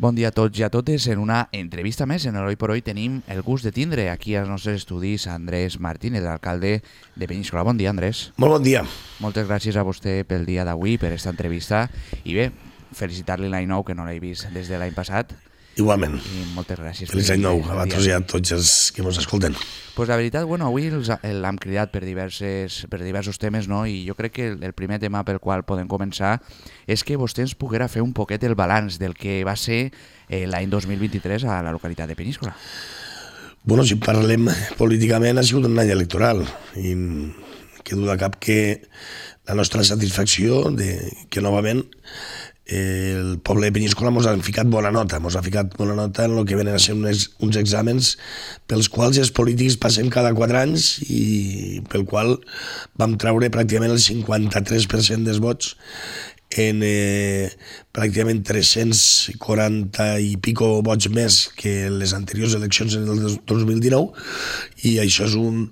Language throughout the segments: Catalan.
Bon dia a tots i a totes. En una entrevista més en l'Hoy por Hoy tenim el gust de tindre aquí als nostres estudis Andrés Martínez, l'alcalde de Peníscola. Bon dia, Andrés. Molt bon dia. Moltes gràcies a vostè pel dia d'avui, per aquesta entrevista. I bé, felicitar-li l'any nou, que no l'he vist des de l'any passat. Igualment. I moltes gràcies. Feliç any nou a vosaltres i a tots els que ens escolten. Pues la veritat, avui l'hem cridat per diversos temes, no? I jo crec que el primer tema pel qual podem començar és que vostè ens poguera fer un poquet el balanç del que va ser l'any 2023 a la localitat de Peníscola. Bueno, si parlem políticament, ha sigut un any electoral i que duda cap que la nostra satisfacció de que novament el poble de Peníscola ens ha ficat bona nota, en el que venen a ser uns exàmens pels quals els polítics passem cada 4 anys i pel qual vam treure pràcticament el 53% dels vots en pràcticament 340 i pico vots més que les anteriors eleccions en el 2019, i això és un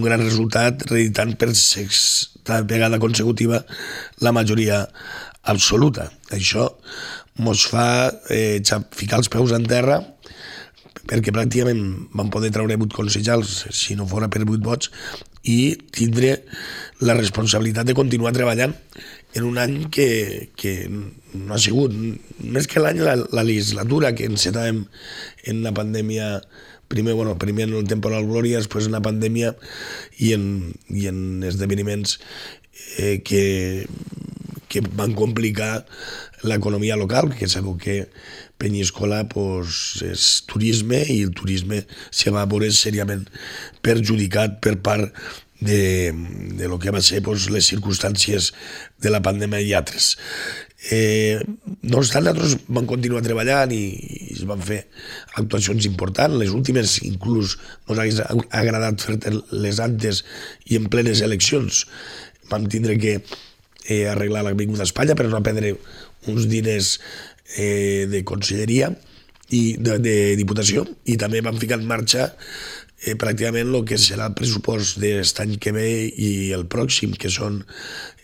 gran resultat, reeditant per sexta vegada consecutiva la majoria absoluta. Això ens fa ficar els peus en terra, perquè pràcticament vam poder treure 8 consellers si no fora per 8 vots, i tindre la responsabilitat de continuar treballant en un any que no ha sigut més que l'any, la legislatura, que encetàvem en la pandèmia, primer en el temporal Glòria, després en la pandèmia i en esdeveniments que van complicar l'economia local, que sabeu que Peníscola és turisme, i el turisme se va veure seriament perjudicat per part de lo que va ser les circumstàncies de la pandèmia i altres. No obstant, nosaltres vam continuar treballant i es van fer actuacions importants. Les últimes, inclús, ens hauria agradat fer les antes i en plenes eleccions. Vam tindre que arreglar l'Avinguda Espanya per no perdre uns diners de conselleria i de diputació, i també vam ficar en marxa pràcticament el que serà el pressupost d'aquest any que ve i el pròxim, que són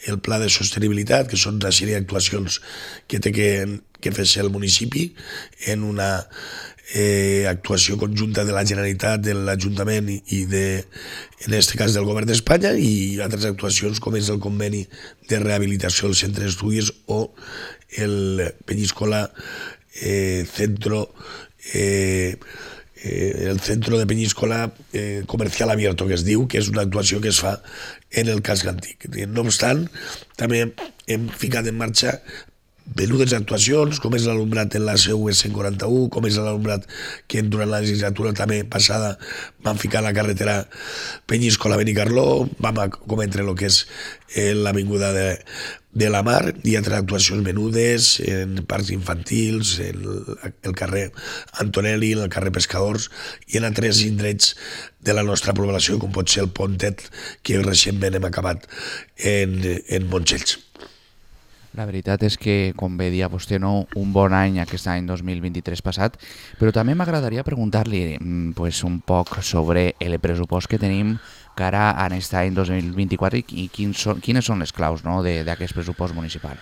el pla de sostenibilitat, que són una sèrie d'actuacions que té que fer-se el municipi en una actuació conjunta de la Generalitat, de l'Ajuntament i en aquest cas del Govern d'Espanya, i altres actuacions com és el conveni de rehabilitació del centre d'estudis o el Peníscola Centro de Peníscola Comercial Abierto, que es diu, que és una actuació que es fa en el casc antic. No obstant, també hem ficat en marxa venudes actuacions, com és l'alumnat en la seu 141, com és l'alumnat que durant la legislatura també passada vam ficar la carretera Peníscola-Benicarló, vam cometre el que és l'avinguda de la Mar, i altres actuacions venudes en parcs infantils, en el carrer Antonelli, en el carrer Pescadors i en altres indrets de la nostra població, com pot ser el Pontet, que recentment hem acabat en Montxells. La veritat és que, com bé dia vostè, no, un bon any aquest any 2023 passat, però també m'agradaria preguntar-li un poc sobre el pressupost que tenim cara a aquest any 2024 i quines són les claus d'aquest pressupost municipal.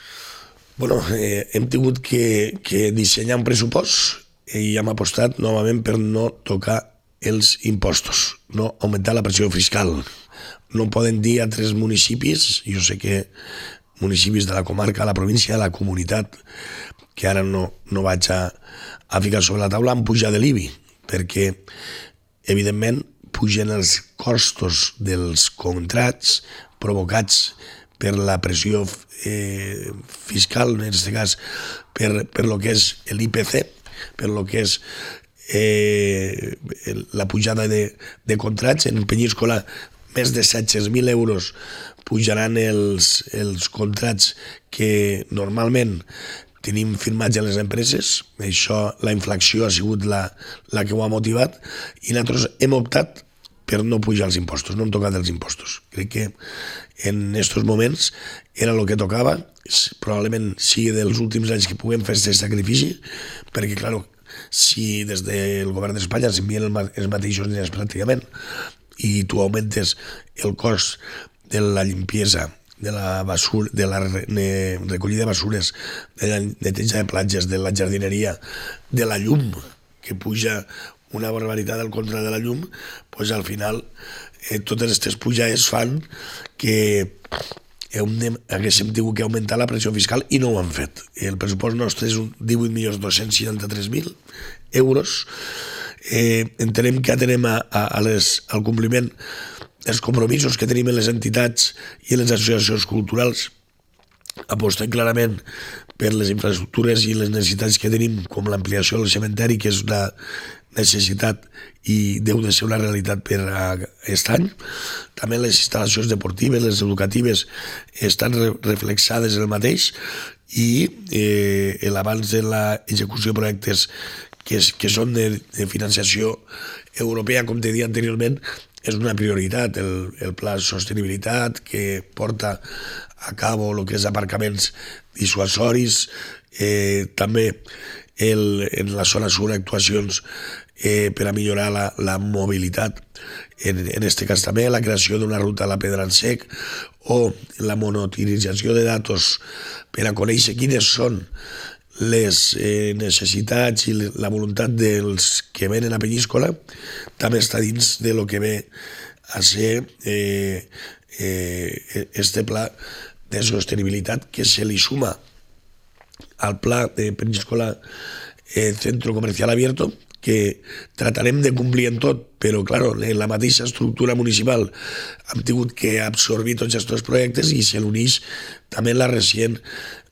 Hem tingut que dissenyar un pressupost i hem apostat novament per no tocar els impostos, no augmentar la pressió fiscal. No poden dir a 3 municipis, jo sé que municipis de la comarca, la província, la comunitat, que ara no vaig a ficar sobre la taula, han pujat de l'IBI, perquè, evidentment, pugen els costos dels contrats provocats per la pressió fiscal, en aquest cas, per lo que és l'IPC, per lo que és la pujada de contrats. En Peníscola, més de 700.000 euros pujaran els contrats que normalment tenim firmats a les empreses. Això, la inflació ha sigut la que ho ha motivat, i nosaltres hem optat per no pujar els impostos, no hem tocat els impostos. Crec que en aquests moments era el que tocava, probablement sigui dels últims anys que puguem fer aquest sacrifici, perquè, clar, si des del govern d'Espanya s'envien els mateixos diners pràcticament i tu augmentes el cost de la limpiesa, de la recollida de basures, de la neteja de platges, de la jardineria, de la llum, que puja una barbaritat al contra de la llum, doncs al final totes aquestes pujades fan que haguéssim tingut que augmentar la pressió fiscal i no ho han fet. El pressupost nostre és 18.263.000 euros. Entenem que atenem al compliment dels compromisos que tenim en les entitats i en les associacions culturals. Apostem clarament per les infraestructures i les necessitats que tenim, com l'ampliació del cementeri, que és una necessitat i deu de ser una realitat per a aquest any. També les instal·lacions deportives, les educatives, estan reflexades en el mateix, i l'abans de l'execució de projectes que són de financiació europea, com te deia anteriorment, és una prioritat. El pla de sostenibilitat que porta a cabo el que és aparcaments dissuasoris, també en la zona sur actuacions per a millorar la mobilitat, en aquest cas també la creació d'una ruta a la Pedra en Sec, o la monitorització de datos per a conèixer quines són les necessitats i la voluntat dels que venen a Penyíscola. També està dins de lo que ve a ser este pla de sostenibilitat, que se li suma al pla de Penyíscola Centro Comercial Abierto, que tratarem de complir en tot, però claro, en la mateixa estructura municipal hem tingut que absorbir tots aquests projectes, i se l'uneix també la recent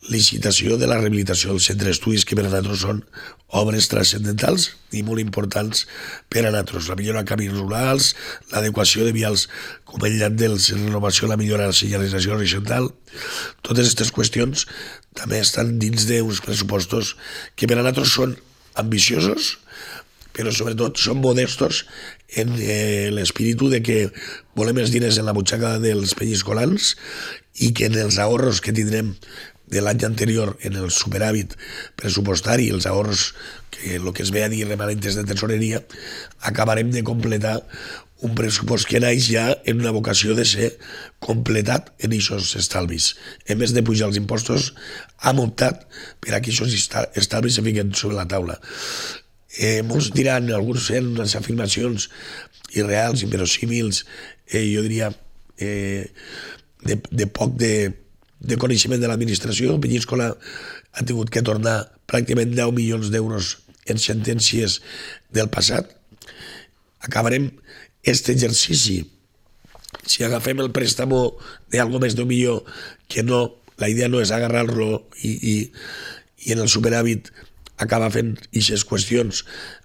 licitació de la rehabilitació del centre d'estudis, que per a nosaltres són obres transcendentals i molt importants per a nosaltres. La millora de camins rurals, l'adequació de vials com el llarg de la renovació, la millora de la senyalització horitzontal, totes aquestes qüestions també estan dins d'uns pressupostos que per a nosaltres són ambiciosos, però sobretot són modestos en l'espíritu de que volem els diners en la butxaca dels penyiscolans, i que en els ahorros que tindrem de l'any anterior, en el superàvit pressupostari, els ahorros, que el que es ve a dir remanentes de tesoreria, acabarem de completar un pressupost que naix ja en una vocació de ser completat en aquests estalvis. En més de pujar els impostos, hem optat per a que aquests estalvis se fiquen sobre la taula. Molts diran, alguns fent unes afirmacions irreals, inverosímils, jo diria de poc de coneixement de l'administració. Penyíscola ha tingut que tornar pràcticament 10 milions d'euros en sentències del passat. Acabarem aquest exercici, si agafem el préstamo d'algo més d'un milió, que no, la idea no és agarrar-lo i en el superàvit acaba fent aquestes qüestions,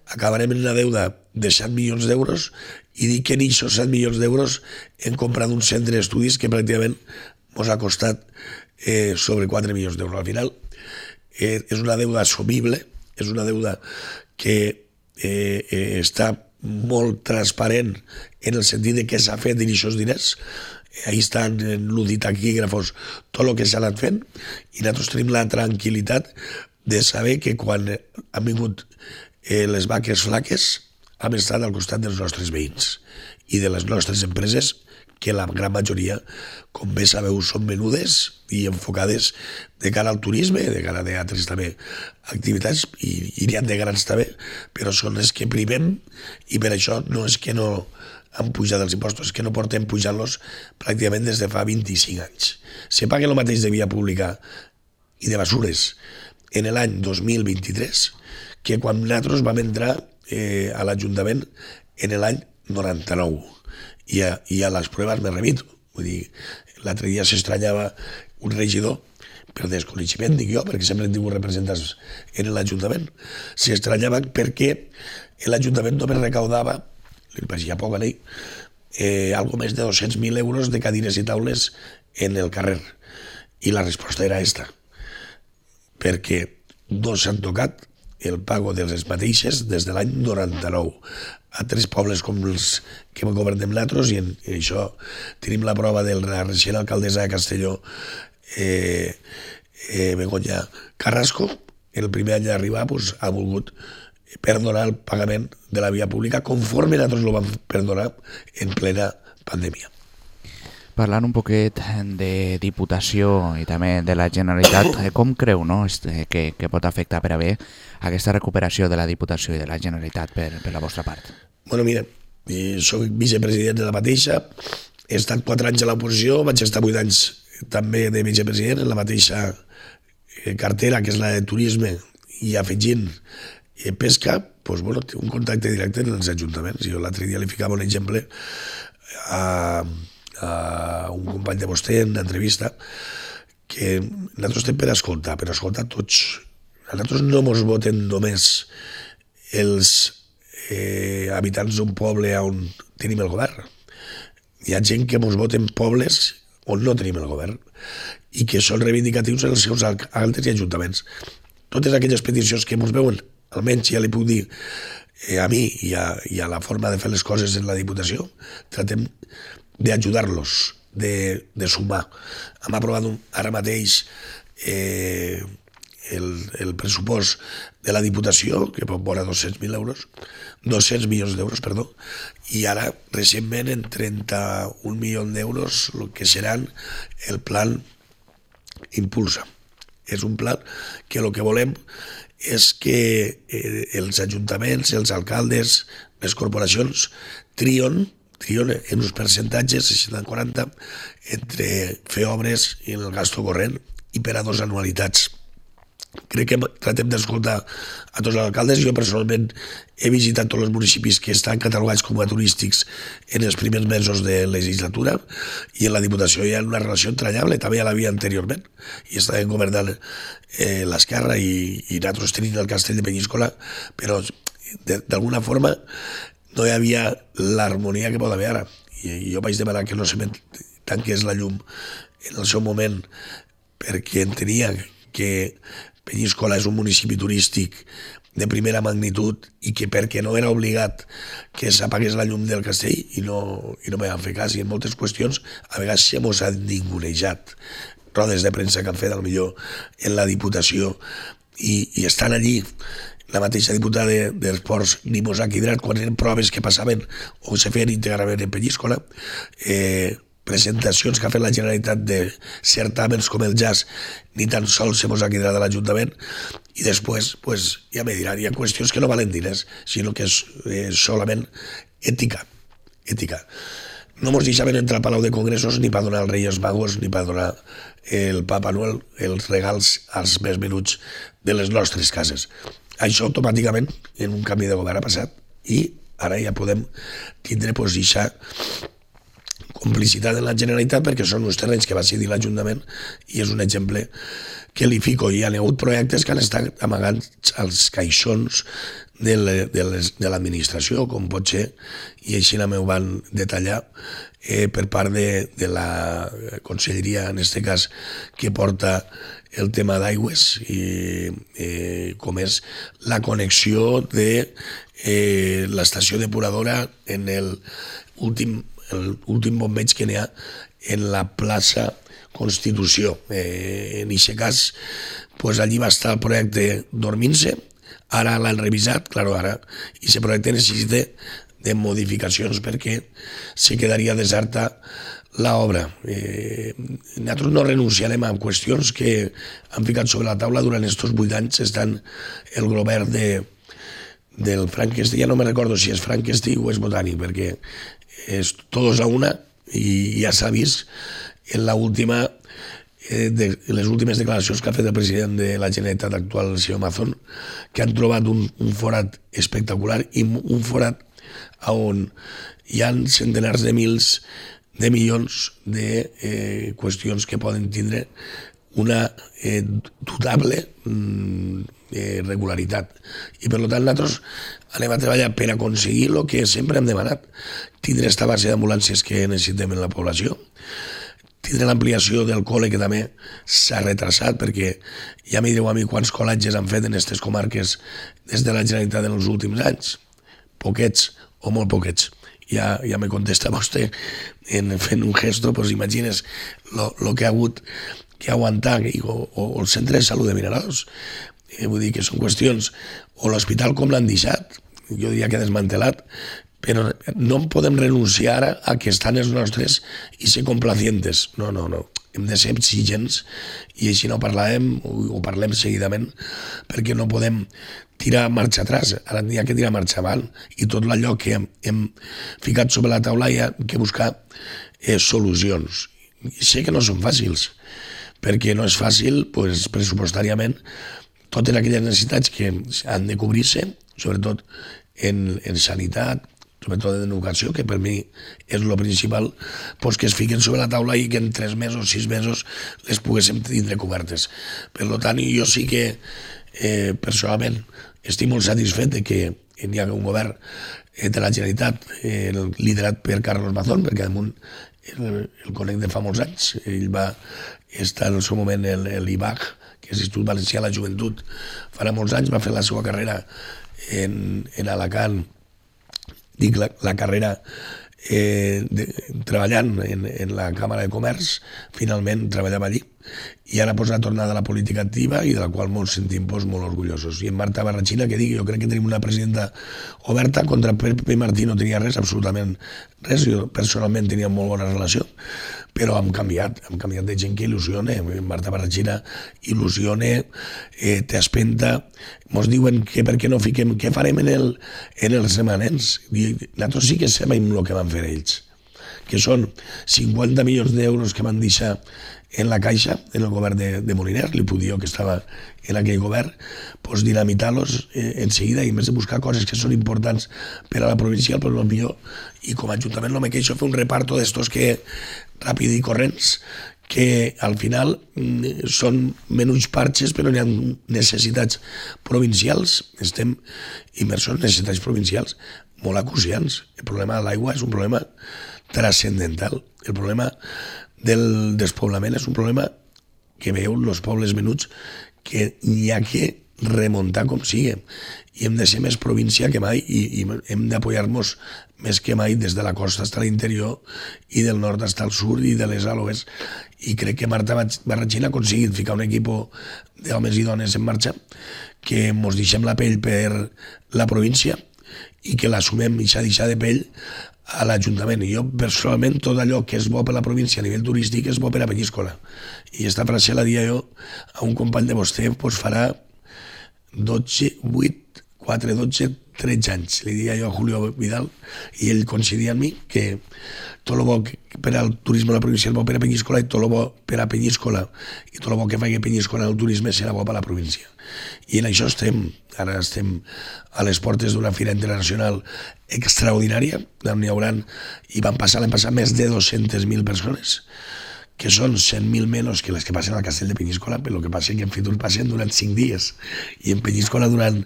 acabarem en una deuda de 7 milions d'euros, i dic que en aquests 7 milions d'euros hem comprat un centre d'estudis que pràcticament ens ha costat sobre 4 milions d'euros. Al final és una deuda assumible, és una deuda que està molt transparent en el sentit de què s'ha fet en aquests diners. Ahí estan en l'uditaquígrafos tot el que s'ha anat fent, i nosaltres tenim la tranquil·litat de saber que quan han vingut les vaques flaques hem estat al costat dels nostres veïns i de les nostres empreses, que la gran majoria, com bé sabeu, són menudes i enfocades de cara al turisme, de cara a altres també activitats, i n'hi ha de grans també, però són les que primem, i per això no és que no han pujat els impostos, és que no portem pujant-los pràcticament des de fa 25 anys. Se paga el mateix de via pública i de basures en l'any 2023 que quan nosaltres vam entrar a l'Ajuntament en l'any 99, i a les proves me remito. Vull dir, l'altre dia s'estranyava un regidor, per desconeixement, dic jo, perquè sempre hem tingut representants en l'Ajuntament, s'estranyava perquè l'Ajuntament només recaudava, li pareixia poc a ell, algo més de 200.000 euros de cadires i taules en el carrer. I la resposta era esta, perquè no s'han tocat el pago de les mateixes des de l'any 99 a 3 pobles com els que governem nosaltres, i en això tenim la prova de la recent alcaldessa de Castelló, Begoña Carrasco. En el primer any d'arribar ha volgut perdonar el pagament de la via pública conforme nosaltres lo vam perdonar en plena pandèmia. Parlant un poquet de Diputació i també de la Generalitat, com creu que pot afectar per a bé aquesta recuperació de la Diputació i de la Generalitat per la vostra part? Bueno, mira, soc vicepresident de la mateixa, he estat 4 anys a l'oposició, vaig estar 8 anys també de vicepresident en la mateixa cartera, que és la de turisme, i afegint pesca, doncs, bueno, té un contacte directe en els ajuntaments. Jo l'altre dia li ficava un exemple a un company de vostè en l'entrevista, que nosaltres estem per escoltar tots. A nosaltres no ens voten només els habitants d'un poble on tenim el govern. Hi ha gent que ens voten pobles on no tenim el govern i que són reivindicatius en els seus alcaldes i ajuntaments. Totes aquelles peticions que ens veuen, almenys ja li puc dir a mi i a la forma de fer les coses en la Diputació, tratem d'ajudar-los, de sumar. Hem aprovat ara mateix el pressupost de la Diputació, que pot vora 200 milions d'euros, i ara, recentment, en 31 milions d'euros, el que seran el plan Impulsa. És un pla que el que volem és que els ajuntaments, els alcaldes, les corporacions trien en uns percentatges, 60-40, entre fer obres i el gasto corrent i per a 2 anualitats. Crec que tratem d'escoltar a tots els alcaldes. Jo personalment he visitat tots els municipis que estan catalogats com a turístics en els primers mesos de legislatura i en la Diputació hi ha una relació entranyable, també ja l'havia anteriorment, i estàvem governant l'Esquerra i nosaltres tenim el castell de Penyíscola, però d'alguna forma no hi havia l'harmonia que pot haver ara. I jo vaig demanar que no se tanqués la llum en el seu moment perquè entenia que Penyíscola és un municipi turístic de primera magnitud i que perquè no era obligat que s'apagués la llum del castell i no me van fer cas, i en moltes qüestions a vegades se mos ha ningunejat, rodes de premsa que han fet millor en la Diputació i estan allí. La mateixa diputada d'Esports ni mos ha quidrat quan eren proves que passaven o se feien íntegrament en Penyíscola, presentacions que ha fet la Generalitat de certàmens com el jazz, ni tan sols se mos ha quedat a l'Ajuntament, i després, ja me diran, hi ha qüestions que no valen diners, sinó que és solament ètica. No mos deixaven entrar al Palau de Congressos ni per donar als Reis Magos ni per donar el Papa Noel els regals als més menuts de les nostres cases. Això automàticament en un canvi de govern ha passat i ara ja podem tindre deixar complicitat en la Generalitat perquè són uns terrenys que va cedir l'Ajuntament i és un exemple que li fico. Hi ha hagut projectes que han estat amagats als caixons de l'administració, com pot ser, i així m'ho van detallar per part de la conselleria, en aquest cas, que porta el tema d'aigües, com és la connexió de l'estació depuradora en l'últim bombeig que n'hi ha en la plaça Constitució. En aquest cas, allí va estar el projecte dormint-se, ara l'han revisat, ara, i aquest projecte necessita de modificacions perquè se quedaria deserta l'obra. Nosaltres no renunciarem a qüestions que han ficat sobre la taula durant aquests 8 anys estant el govern del Frankenstein. Ja no me recordo si és Frankenstein o és Botànic, perquè és todos a una i ja s'ha vist en les últimes declaracions que ha fet el president de la Generalitat actual, el senyor Mazón, que han trobat un forat espectacular i un forat on hi ha centenars de milions de qüestions que poden tindre una dubtable regularitat. I per tant nosaltres anem a treballar per aconseguir el que sempre hem demanat, tindre aquesta base d'ambulàncies que necessitem en la població, tindre l'ampliació del col·le que també s'ha retrasat perquè ja m'hi direu a mi quants col·letges han fet en aquestes comarques des de la Generalitat en els últims anys, poquets o molt poquets. Ja me contesta vostè fent un gesto, imagines el que ha hagut que aguantar, o el centre de salut de Vinaròs. Vull dir que són qüestions, o l'hospital com l'han deixat, jo diria que desmantelat, però no podem renunciar a que estan els nostres i ser complacientes. No. Hem de ser exigents i així no parlem o parlem seguidament, perquè no podem tirar marxa atrás. Ara hi ha que tirar marxa avant i tot allò que hem ficat sobre la taula hi ha que buscar solucions. I sé que no són fàcils, perquè no és fàcil pressupostàriament totes aquelles necessitats que han de cobrir-se, sobretot en sanitat, sobretot en educació, que per mi és el principal, que es fiquen sobre la taula i que en 3 mesos, 6 mesos les poguéssim tindre cobertes. Per tant, jo sí que personalment estic molt satisfet de que hi ha un govern de la Generalitat liderat per Carlos Mazón, perquè damunt el conec de fa molts anys. Ell va estar en el seu moment a l'IBAG, que és l'Institut Valencià de la Joventut, farà molts anys, va fer la seva carrera en Alacant, dic la carrera treballant en la Càmera de Comerç, finalment treballava allí, i ara ha tornat a la política activa i de la qual molts sentim molt orgullosos. I en Marta Barrachina, que dic, jo crec que tenim una presidenta oberta. Contra Pepe Martí no tenia res, absolutament res. Jo personalment tenia molt bona relació, però hem canviat de gent que il·lusiona. Marta Barrachina il·lusiona, t'espenta. Mos diuen que per què no fiquem, què farem en els remanents. Nosaltres sí que sabem el que van fer ells, que són 50 milions d'euros que van deixar en la caixa, en el govern de Moliner, li puc dir jo que estava en aquell govern, dinamitar-los en seguida, i més de buscar coses que són importants per a la provincial, però millor, i com a ajuntament no me queixo, fer un reparto d'estos que ràpid i corrents, que al final són menys parxes, però hi ha necessitats provincials, estem immersos en necessitats provincials molt acuciants. El problema de l'aigua és un problema transcendental. El problema del despoblament és un problema que veieu els pobles menuts, que hi ha que remuntar com sigui, i hem de ser més província que mai, i hem d'apoyar-nos més que mai des de la costa fins a l'interior i del nord fins al sud i de les a l'oest. I crec que Marta Barrachina ha aconseguit ficar un equip d'homes i dones en marxa, que ens deixem la pell per la província i que l'assumem i s'ha deixat de pell a l'Ajuntament. I jo, personalment, tot allò que és bo per la província a nivell turístic és bo per a Penyíscola. I esta frase la dia jo a un company de vostè, farà 13 anys. Li dia jo a Julio Vidal, i ell coincidia amb mi que tot el bo per al turisme de la província és bo per a Penyíscola, i tot el bo per a Penyíscola i tot el bo que faci Penyíscola en el turisme serà bo per a la província. I en això estem. Ara estem a les portes d'una fira internacional extraordinària, on hi haurà, i van passar l'any passat més de 200.000 persones, que són 100.000 menys que les que passen al Castell de Penyíscola, però el que passa és que en Fitur passen durant 5 dies i en Penyíscola durant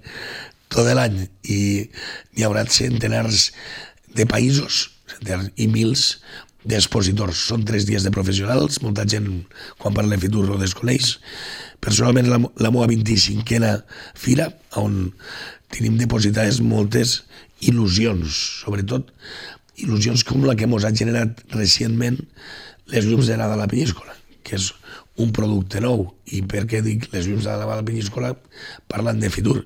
tot l'any, i hi haurà centenars de països i mils d'expositors. Són 3 dies de professionals, molta gent quan parla de Fitur ho desconeix. Personalment la meva 25a fira, on tenim depositades moltes il·lusions, sobretot il·lusions com la que ens ha generat recentment les llums de Nadal a Penyíscola, que és un producte nou. I per què dic les llums de Nadal a Penyíscola parlant de Fitur?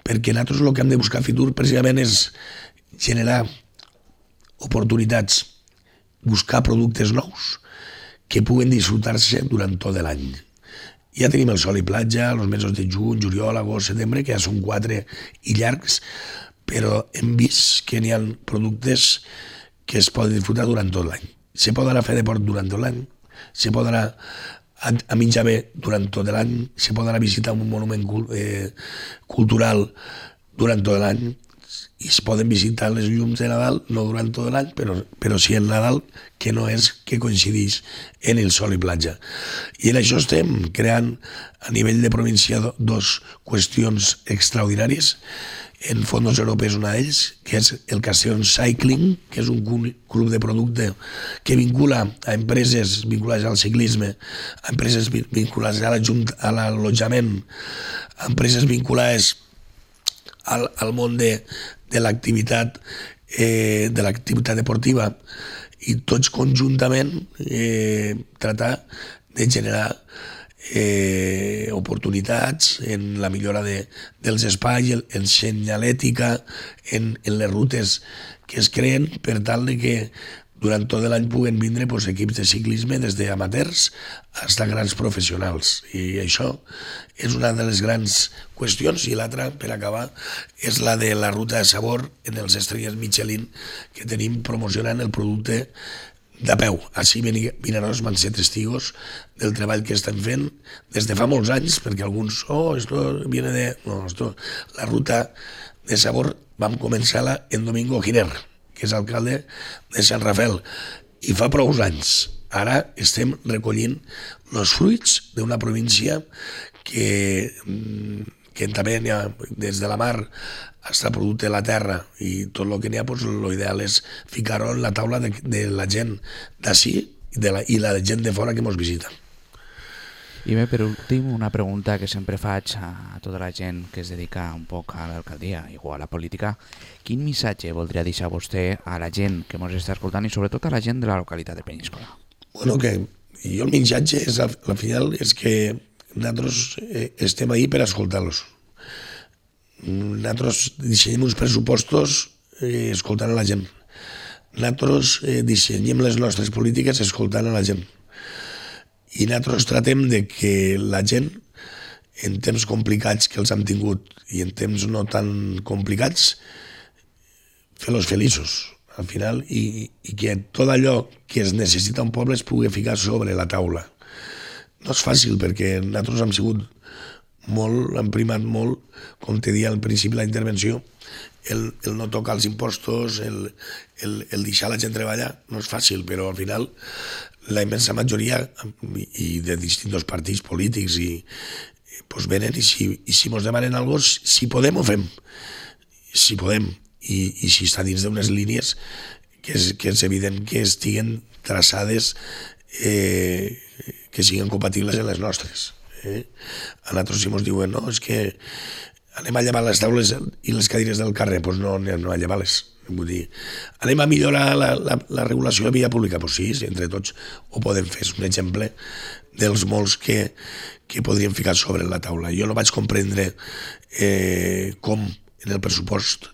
Perquè nosaltres el que hem de buscar a Fitur precisament és generar oportunitats, buscar productes nous que puguen disfrutar-se durant tot l'any. Ja tenim el sol i platja, els mesos de juny, juliol, agost, setembre, que ja són 4 i llargs, però hem vist que n'hi ha productes que es poden disfrutar durant tot l'any. Se pot anar a fer deport durant tot l'any, se pot anar a menjar bé durant tot l'any, se pot anar a visitar un monument cultural durant tot l'any, i es poden visitar les llums de Nadal, no durant tot l'any, però sí el Nadal, que no és que coincideix en el sol i platja. I en això estem creant a nivell de província 2 qüestions extraordinàries. En fons europeus una d'ells, que és el Castellón Cycling, que és un club de producte que vincula a empreses vinculades al ciclisme, a empreses vinculades a l'allotjament, a empreses vinculades al món de l'activitat deportiva, i tots conjuntament tratar de generar oportunitats en la millora dels espais, en senyalètica, en les rutes que es creen per tal de que durant tot l'any puguen vindre equips de ciclisme des d'amateurs fins a grans professionals. I això és una de les grans qüestions. I l'altra, per acabar, és la de la ruta de sabor en els estrelles Michelin que tenim promocionant el producte de peu. Així Vinaròs van ser testigos del treball que estem fent des de fa molts anys, perquè alguns, esto viene de... No, la ruta de sabor vam començar-la en Domingo Giner, que és alcalde de Sant Rafael, i fa prou anys. Ara estem recollint els fruits d'una província que també n'hi ha des de la mar fins a producte de la terra, i tot el que n'hi ha, l'ideal és ficar-ho en la taula de la gent d'ací i la gent de fora que ens visita. I bé, per últim, una pregunta que sempre faig a tota la gent que es dedica un poc a l'alcaldia o a la política. Quin missatge voldria deixar vostè a la gent que ens està escoltant i sobretot a la gent de la localitat de Penyíscola? Bueno, que jo el missatge és, al final, és que nosaltres estem ahí per escoltar-los. Nosaltres dissenyem uns pressupostos escoltant a la gent. Nosaltres dissenyem les nostres polítiques escoltant a la gent. I nosaltres tratem de que la gent, en temps complicats que els hem tingut i en temps no tan complicats, fer-los feliços, al final, i que tot allò que es necessita un poble es pugui ficar sobre la taula. No és fàcil, perquè nosaltres hem sigut molt, hem primat molt, com te deia al principi de la intervenció, el no tocar els impostos, el deixar la gent treballar, no és fàcil, però al final la immensa majoria i de distints partits polítics venen i si ens demanen alguna cosa, si podem ho fem, si podem, i si està dins d'unes línies que és evident que estiguen traçades, que siguin compatibles amb les nostres. A nosaltres si ens diuen no, és que anem a llevar les taules i les cadires del carrer, doncs no anem a llevar-les. Vull dir, anem a millorar la regulació de via pública? Doncs sí, entre tots ho podem fer. És un exemple dels molts que podríem ficar sobre la taula. Jo no vaig comprendre com en el pressupost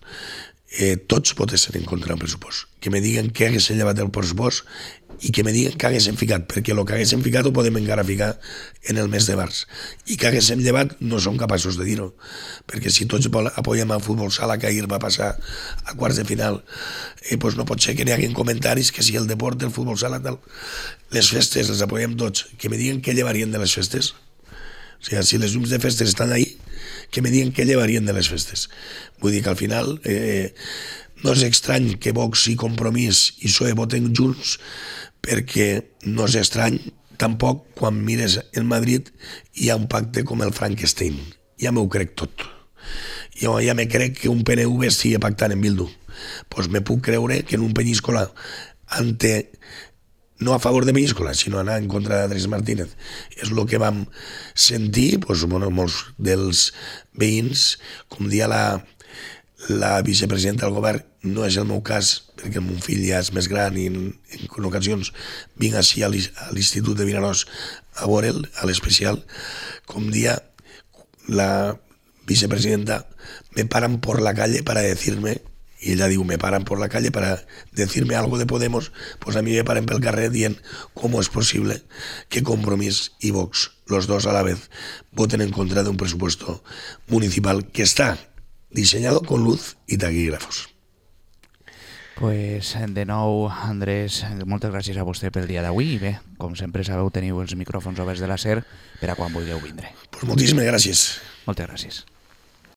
tots votessin en contra del pressupost. Que me diguen que haguessin llevat el pressupost i que me diguen que haguessin ficat, perquè el que haguessin ficat ho podem encara ficar en el mes de març. I que haguessin llevat no som capaços de dir-ho, perquè si tots apoyem el futbol sala que ahir va passar a quarts de final, doncs no pot ser que n'hi hagin comentaris que si el deport, el futbol sala, tal, les festes les apoyem tots, que me diguen què llevarien de les festes. O sigui, si les llums de festes estan ahí, que me diguen què llevarien de les festes. Vull dir que al final no és estrany que Vox i Compromís i PSOE voten junts, perquè no és estrany tampoc quan mires en Madrid hi ha un pacte com el Frankenstein. Ja m'ho crec tot. Jo ja me crec que un PNV estigui pactant en Bildu. Doncs me puc creure que en un Penyíscola no a favor de Penyíscola, sinó anar en contra d'Andrés Martínez. És el que vam sentir, molts dels veïns, com dia la vicepresidenta del govern, no és el meu cas, perquè el meu fill ja és més gran i en ocasions vinc així a l'Institut de Vinaròs a veure'l, a l'especial, com dia la vicepresidenta me paran por la calle para decirme, y ella diu, me paran por la calle para decirme algo de Podemos, pues a mí me paran pel carrer dient cómo es posible que Compromís y Vox, los dos a la vez, voten en contra de un presupuesto municipal que está diseñado con luz y taquígrafos. Pues de nou, Andrés, moltes gràcies a vostè pel dia d'avui i bé, com sempre sabeu, teniu els micròfons oberts de la SER per a quan vulgueu vindre. Pues moltíssimes gràcies. Moltes gràcies.